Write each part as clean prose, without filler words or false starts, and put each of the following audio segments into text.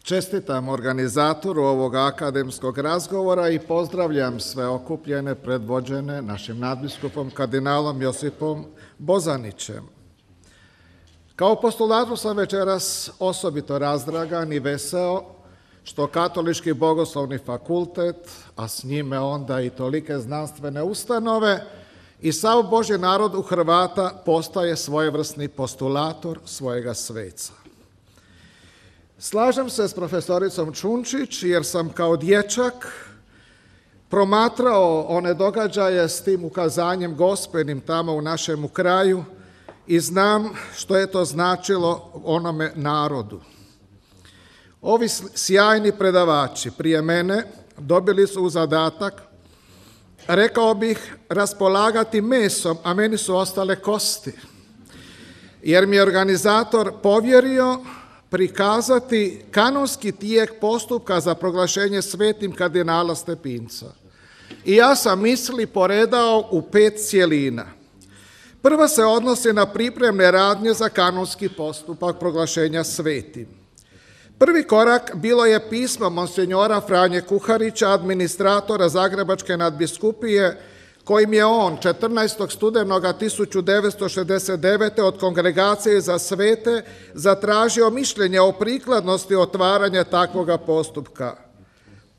Čestitam organizatoru ovog akademskog razgovora i pozdravljam sve okupljene predvođene našim nadbiskupom kardinalom Josipom Bozanićem. Kao postulator sam večeras osobito razdragan i veseo što Katolički bogoslovni fakultet, a s njime onda i tolike znanstvene ustanove i sav Božji narod u Hrvata postaje svojevrsni postulator svojega sveca. Slažem se s profesoricom Čunčić jer sam kao dječak promatrao one događaje s tim ukazanjem gospelnim tamo u našemu kraju i znam što je to značilo onome narodu. Ovi sjajni predavači prije mene dobili su u zadatak, rekao bih, raspolagati mesom, a meni su ostale kosti, jer mi je organizator povjerio prikazati kanonski tijek postupka za proglašenje svetim kardinala Stepinca. I ja sam misli poredao u 5 cjelina. Prva se odnosi na pripremne radnje za kanonski postupak proglašenja svetim. Prvi korak bilo je pismo monsinjora Franje Kuharića, administratora Zagrebačke nadbiskupije, kojim je on 14. studenoga 1969. od Kongregacije za svete zatražio mišljenje o prikladnosti otvaranja takvoga postupka.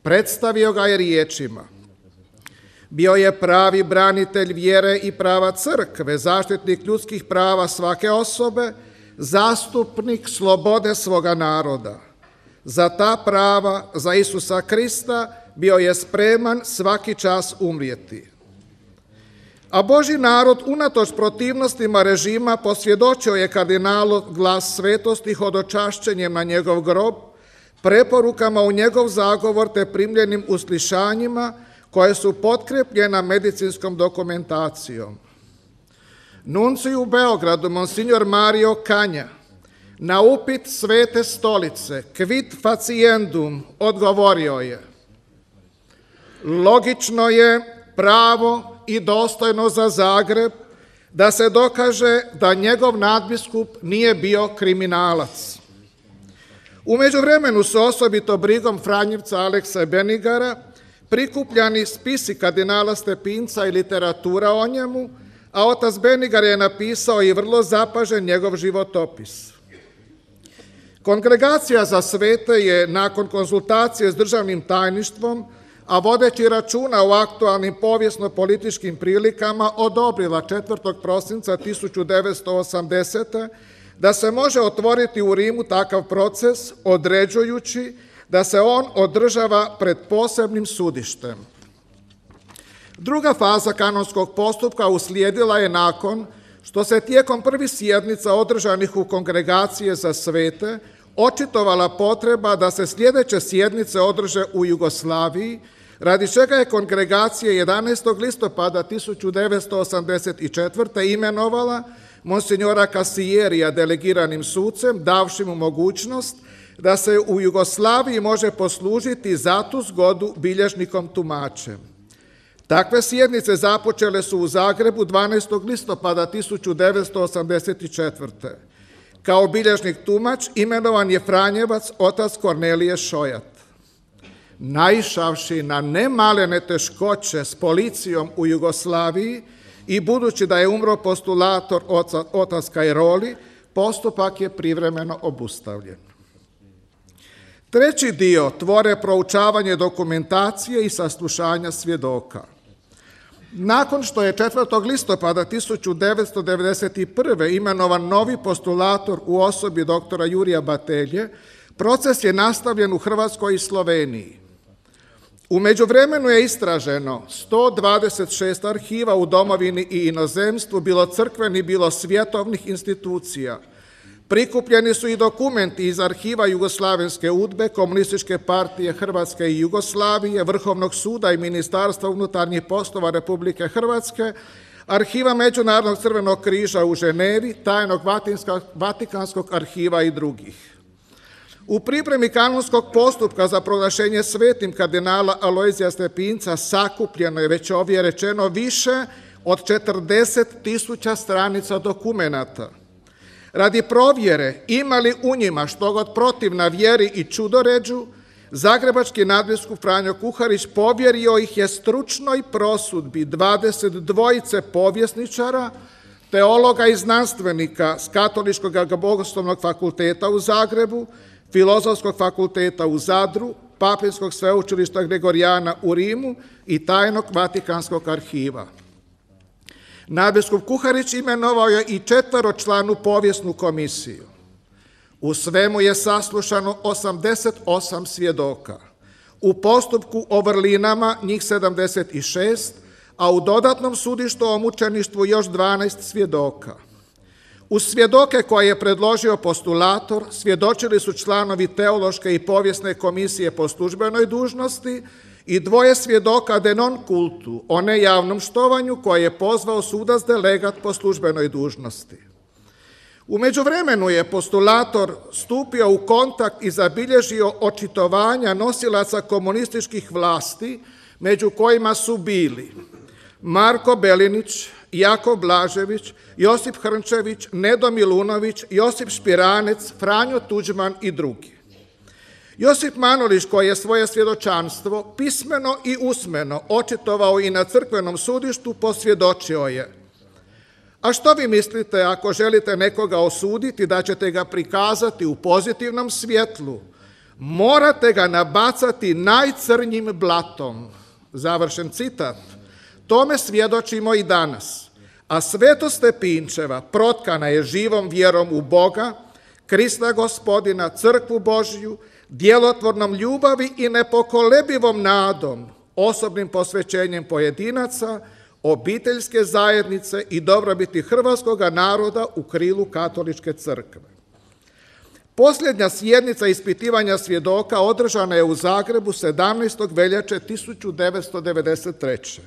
Predstavio ga je riječima: bio je pravi branitelj vjere i prava crkve, zaštitnik ljudskih prava svake osobe, zastupnik slobode svoga naroda. Za ta prava, za Isusa Krista, bio je spreman svaki čas umrijeti. A Božji narod, unatoč protivnostima režima, posvjedočio je kardinalu glas svetosti hodočašćenjem na njegov grob, preporukama u njegov zagovor te primljenim uslišanjima koje su potkrepljena medicinskom dokumentacijom. Nuncij u Beogradu, monsignor Mario Kanja, na upit Svete stolice, quid faciendum, odgovorio je: logično je, pravo i dostojno za Zagreb da se dokaže da njegov nadbiskup nije bio kriminalac. U međuvremenu su osobito brigom Franjevca Alekse Benigara prikupljani spisi kardinala Stepinca i literatura o njemu, a otac Benigar je napisao i vrlo zapažen njegov životopis. Kongregacija za svete je nakon konzultacije s državnim tajništvom, a vodeći računa o aktualnim povijesno-političkim prilikama, odobrila 4. prosinca 1980. da se može otvoriti u Rimu takav proces, određujući da se on održava pred posebnim sudištem. Druga faza kanonskog postupka uslijedila je nakon što se tijekom prvih sjednica održanih u Kongregacije za svete očitovala potreba da se sljedeće sjednice održe u Jugoslaviji, radi čega je Kongregacija 11. listopada 1984. imenovala monsignora Kasijerija delegiranim sucem, davši mu mogućnost da se u Jugoslaviji može poslužiti za tu zgodu bilježnikom tumačem. Takve sjednice započele su u Zagrebu 12. listopada 1984. Kao bilježnik tumač imenovan je Franjevac otac Kornelije Šojat. Naišavši na nemalene teškoće s policijom u Jugoslaviji i budući da je umro postulator otac Kajroli, postupak je privremeno obustavljen. Treći dio tvore proučavanje dokumentacije i saslušanja svjedoka. Nakon što je 4. listopada 1991. imenovan novi postulator u osobi doktora Jurija Batelje, proces je nastavljen u Hrvatskoj i Sloveniji. U međuvremenu je istraženo 126 arhiva u domovini i inozemstvu, bilo crkvenih, bilo svjetovnih institucija. Prikupljeni su i dokumenti iz arhiva Jugoslavenske UDBE, Komunističke partije Hrvatske i Jugoslavije, Vrhovnog suda i Ministarstva unutarnjih poslova Republike Hrvatske, arhiva Međunarodnog crvenog križa u Ženevi, tajnog Vatikanskog arhiva i drugih. U pripremi kanonskog postupka za proglašenje svetim kardinala Alojzija Stepinca sakupljeno je, već ovdje rečeno, više od 40.000 stranica dokumenata. Radi provjere ima li u njima što god protivna vjeri i čudoređu, zagrebački nadbiskup Franjo Kuharić povjerio ih je stručnoj prosudbi 22 povjesničara, teologa i znanstvenika s Katoličkog bogoslovnog fakulteta u Zagrebu, Filozofskog fakulteta u Zadru, Papinskog sveučilišta Gregorijana u Rimu i tajnog Vatikanskog arhiva. Nadbiskup Kuharić imenovao je i 4-članu povijesnu komisiju. U svemu je saslušano 88 svjedoka. U postupku o vrlinama njih 76, a u dodatnom sudištu o mučeništvu još 12 svjedoka. Uz svjedoke koje je predložio postulator svjedočili su članovi teološke i povijesne komisije po službenoj dužnosti i 2 svjedoka de non cultu, o nejavnom štovanju koje je pozvao sudac delegat po službenoj dužnosti. U međuvremenu je postulator stupio u kontakt i zabilježio očitovanja nosilaca komunističkih vlasti, među kojima su bili Marko Belinić, Jakov Blažević, Josip Hrnčević, Nedo Milunović, Josip Špiranec, Franjo Tuđman i drugi. Josip Manolić, koji je svoje svjedočanstvo pismeno i usmeno očitovao i na crkvenom sudištu, posvjedočio je: a što vi mislite ako želite nekoga osuditi da ćete ga prikazati u pozitivnom svjetlu? Morate ga nabacati najcrnjim blatom. Završen citat. Tome svjedočimo i danas. A svetost Stepinčeva protkana je živom vjerom u Boga, Krista Gospodina, crkvu Božju, djelotvornom ljubavi i nepokolebivom nadom, osobnim posvećenjem pojedinaca, obiteljske zajednice i dobrobiti hrvatskog naroda u krilu katoličke crkve. Posljednja sjednica ispitivanja svjedoka održana je u Zagrebu 17. veljače 1993.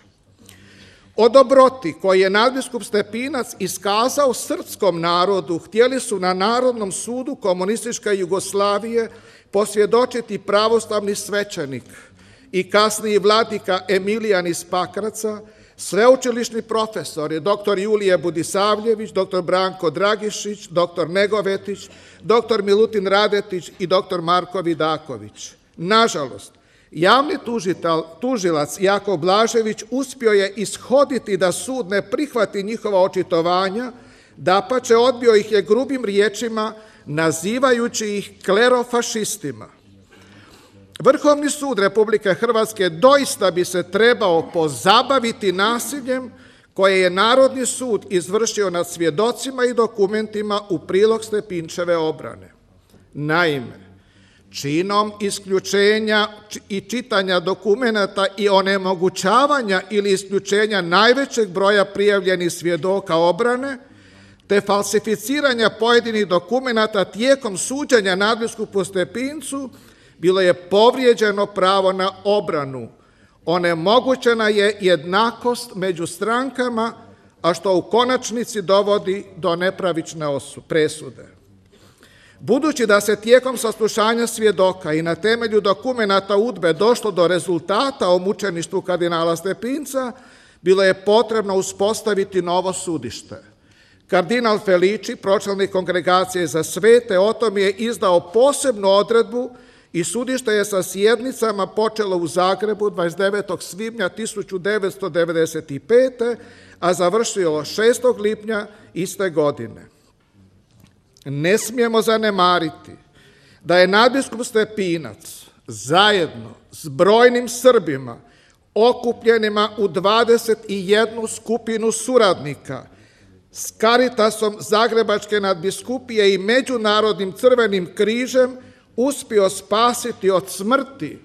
O dobroti koji je nadbiskup Stepinac iskazao srpskom narodu htjeli su na Narodnom sudu komunističke Jugoslavije posvjedočiti pravoslavni svećenik i kasniji vladika Emilijan iz Pakraca, sveučilišni profesori dr. Julije Budisavljević, dr. Branko Dragišić, dr. Negovetić, dr. Milutin Radetić i dr. Marko Vidaković. Nažalost, javni tužilac Jakov Blažević uspio je ishoditi da sud ne prihvati njihova očitovanja, dapače odbio ih je grubim riječima nazivajući ih klerofašistima. Vrhovni sud Republike Hrvatske doista bi se trebao pozabaviti nasiljem koje je Narodni sud izvršio nad svjedocima i dokumentima u prilog Stepinčeve obrane. Naime, činom isključenja i čitanja dokumenata i onemogućavanja ili isključenja najvećeg broja prijavljenih svjedoka obrane, te falsificiranja pojedinih dokumenata tijekom suđenja nadbiskupu Stepincu, bilo je povrijeđeno pravo na obranu. Onemogućena je jednakost među strankama, a što u konačnici dovodi do nepravične presude. Budući da se tijekom saslušanja svjedoka i na temelju dokumenata UDBE došlo do rezultata o mučeništvu kardinala Stepinca, bilo je potrebno uspostaviti novo sudište. Kardinal Felici, pročelnik Kongregacije za svete, o tom je izdao posebnu odredbu i sudište je sa sjednicama počelo u Zagrebu 29. svibnja 1995. a završilo 6. lipnja iste godine. Ne smijemo zanemariti da je nadbiskup Stepinac zajedno s brojnim Srbima okupljenima u 21 skupinu suradnika s Caritasom Zagrebačke nadbiskupije i Međunarodnim crvenim križem uspio spasiti od smrti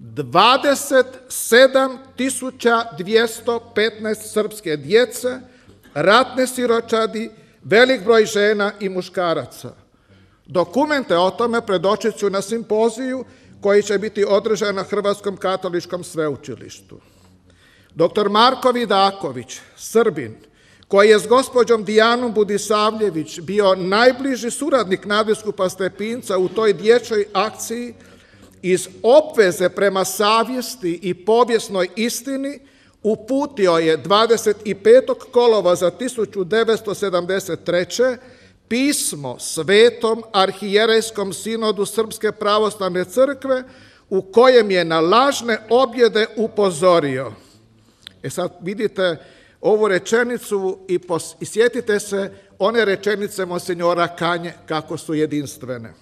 27.215 srpske djece, ratne siročadi, velik broj žena i muškaraca. Dokumente o tome predočit ću na simpoziju koji će biti održan na Hrvatskom katoličkom sveučilištu. Dr. Marko Vidaković, Srbin, koji je s gospođom Dijanom Budisavljević bio najbliži suradnik nadbiskupa Stepinca u toj dječjoj akciji, iz obveze prema savjesti i povijesnoj istini uputio je 25. kolovoza 1973. pismo Svetom arhijerejskom sinodu Srpske pravoslavne crkve u kojem je na lažne objede upozorio. Sad vidite ovu rečenicu i sjetite se one rečenice monsinjora Kanje kako su jedinstvene.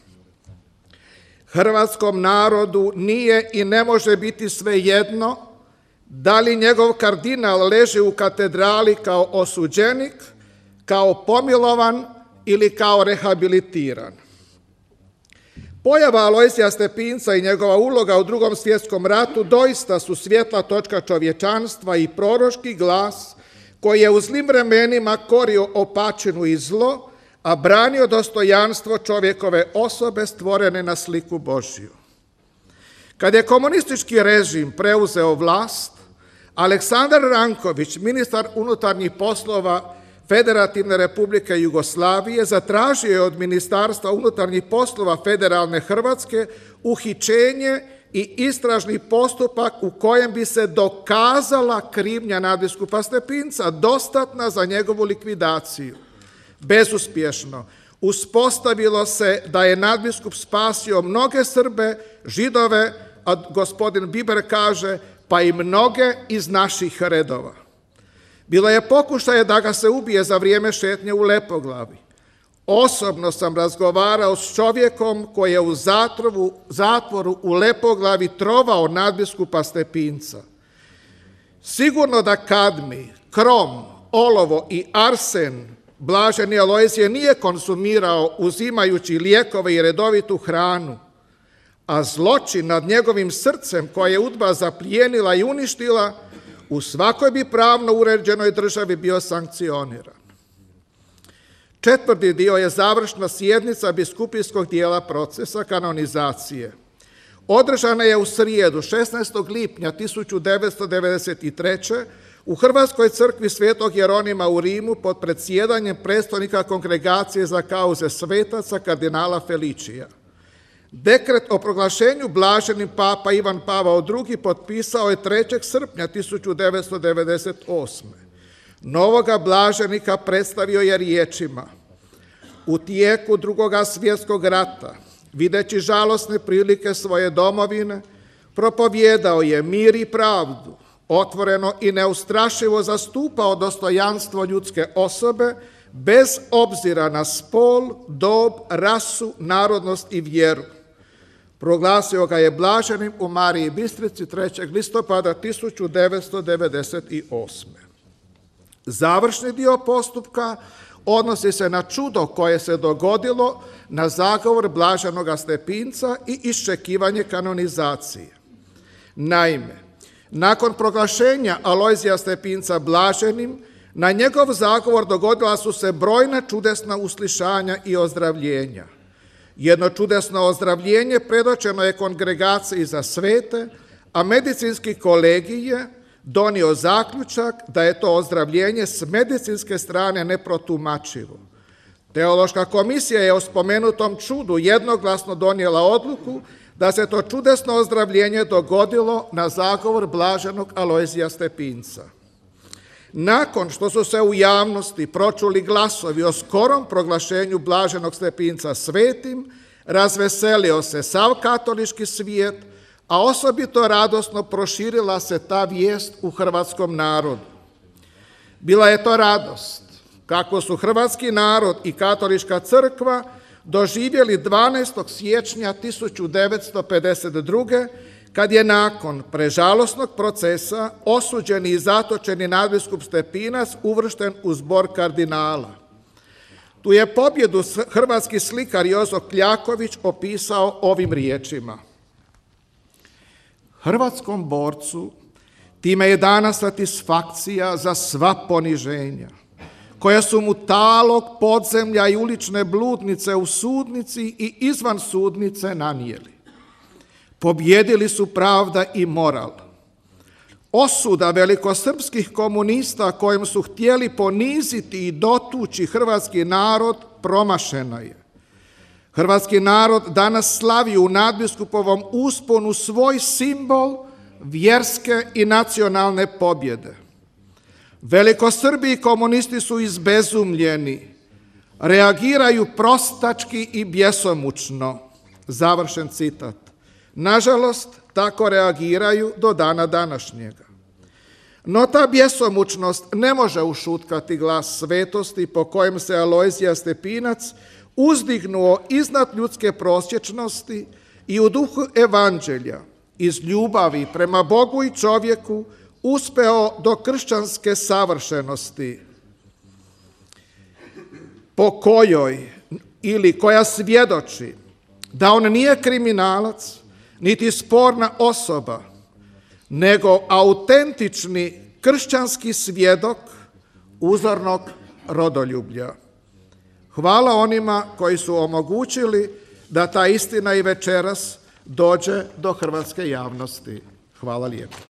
Hrvatskom narodu nije i ne može biti svejedno da li njegov kardinal leži u katedrali kao osuđenik, kao pomilovan ili kao rehabilitiran. Pojava Alojzija Stepinca i njegova uloga u Drugom svjetskom ratu doista su svjetla točka čovječanstva i proročki glas koji je u zlim vremenima korio opačinu i zlo, a branio dostojanstvo čovjekove osobe stvorene na sliku Božju. Kad je komunistički režim preuzeo vlast, Aleksandar Ranković, ministar unutarnjih poslova Federativne Republike Jugoslavije, zatražio je od Ministarstva unutarnjih poslova Federalne Hrvatske uhićenje i istražni postupak u kojem bi se dokazala krivnja nadbiskupa Stepinca, dostatna za njegovu likvidaciju. Bezuspješno. Uspostavilo se da je nadbiskup spasio mnoge Srbe, Židove, a gospodin Biber kaže pa i mnoge iz naših redova. Bilo je pokušaje da ga se ubije za vrijeme šetnje u Lepoglavi. Osobno sam razgovarao s čovjekom koji je u zatvoru u Lepoglavi trovao nadbiskupa Stepinca. Sigurno da kadmij, krom, olovo i arsen blaženi Alojzije nije konzumirao uzimajući lijekove i redovitu hranu, a zločin nad njegovim srcem koje je UDBA zaplijenila i uništila u svakoj bi pravno uređenoj državi bio sankcioniran. Četvrti dio je završna sjednica biskupijskog dijela procesa kanonizacije. Održana je u srijedu 16. lipnja 1993. u Hrvatskoj crkvi Svetog Jeronima u Rimu pod predsjedanjem predstojnika Kongregacije za kauze svetaca kardinala Feličija. Dekret o proglašenju blaženim papa Ivan Pavao II potpisao je 3. srpnja 1998. Novoga blaženika predstavio je riječima: u tijeku Drugoga svjetskog rata, videći žalosne prilike svoje domovine, propovijedao je mir i pravdu, otvoreno i neustrašivo zastupao dostojanstvo ljudske osobe bez obzira na spol, dob, rasu, narodnost i vjeru. Proglasio ga je blaženim u Mariji Bistrici 3. listopada 1998. Završni dio postupka odnosi se na čudo koje se dogodilo na zagovor blaženoga Stepinca i iščekivanje kanonizacije. Naime, nakon proglašenja Alojzija Stepinca blaženim, na njegov zagovor dogodila su se brojna čudesna uslišanja i ozdravljenja. Jedno čudesno ozdravljenje predočeno je Kongregaciji za svete, a medicinski kolegij je donio zaključak da je to ozdravljenje s medicinske strane neprotumačivo. Teološka komisija je o spomenutom čudu jednoglasno donijela odluku da se to čudesno ozdravljenje dogodilo na zagovor blaženog Alojzija Stepinca. Nakon što su se u javnosti pročuli glasovi o skorom proglašenju blaženog Stepinca svetim, razveselio se sav katolički svijet, a osobito radosno proširila se ta vijest u hrvatskom narodu. Bila je to radost kako su hrvatski narod i katolička crkva doživjeli 12. siječnja 1952. kad je nakon prežalosnog procesa osuđeni i zatočeni nadbiskup Stepinac uvršten u zbor kardinala. Tu je pobjedu hrvatski slikar Jozo Kljaković opisao ovim riječima: hrvatskom borcu time je dana satisfakcija za sva poniženja, koja su mu talog, podzemlja i ulične bludnice u sudnici i izvan sudnice nanijeli. Pobjedili su pravda i moral. Osuda velikosrpskih komunista kojim su htjeli poniziti i dotući hrvatski narod promašena je. Hrvatski narod danas slavi u nadbiskupovom usponu svoj simbol vjerske i nacionalne pobjede. Velikosrbi i komunisti su izbezumljeni. reagiraju prostački i bjesomučno. Završen citat. Nažalost, tako reagiraju do dana današnjega. No ta bjesomučnost ne može ušutkati glas svetosti po kojem se Alojzije Stepinac uzdignuo iznad ljudske prosječnosti i u duhu evanđelja iz ljubavi prema Bogu i čovjeku uspeo do kršćanske savršenosti po kojoj ili koja svjedoči da on nije kriminalac niti sporna osoba, nego autentični kršćanski svjedok uzornog rodoljublja. Hvala onima koji su omogućili da ta istina i večeras dođe do hrvatske javnosti. Hvala lijepo.